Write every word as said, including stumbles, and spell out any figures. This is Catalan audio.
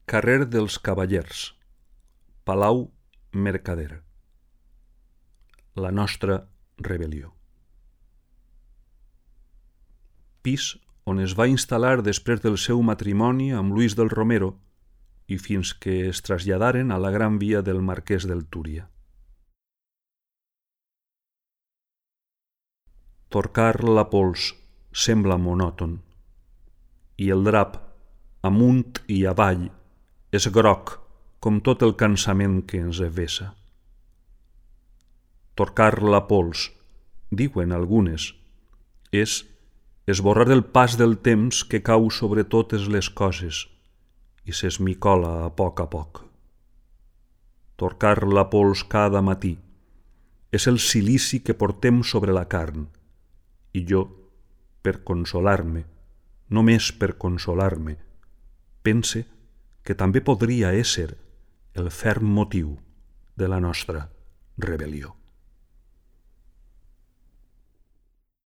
Carrer dels Cavallers, Palau Mercader. La nostra rebel·lió. Pis on es va instal·lar després del seu matrimoni amb Luis del Romero i fins que es traslladaren a la Gran Via del Marquès del Túria. Torcar la pols sembla monòton i el drap, amunt i avall, és groc com tot el cansament que ens vessa. Torcar la pols, diuen algunes, és esborrar el pas del temps que cau sobre totes les coses i s'esmicola a poc a poc. Torcar la pols cada matí és el silici que portem sobre la carn i jo, per consolar-me, només per consolar-me, pense que també podria ésser el ferm motiu de la nostra rebel·lió.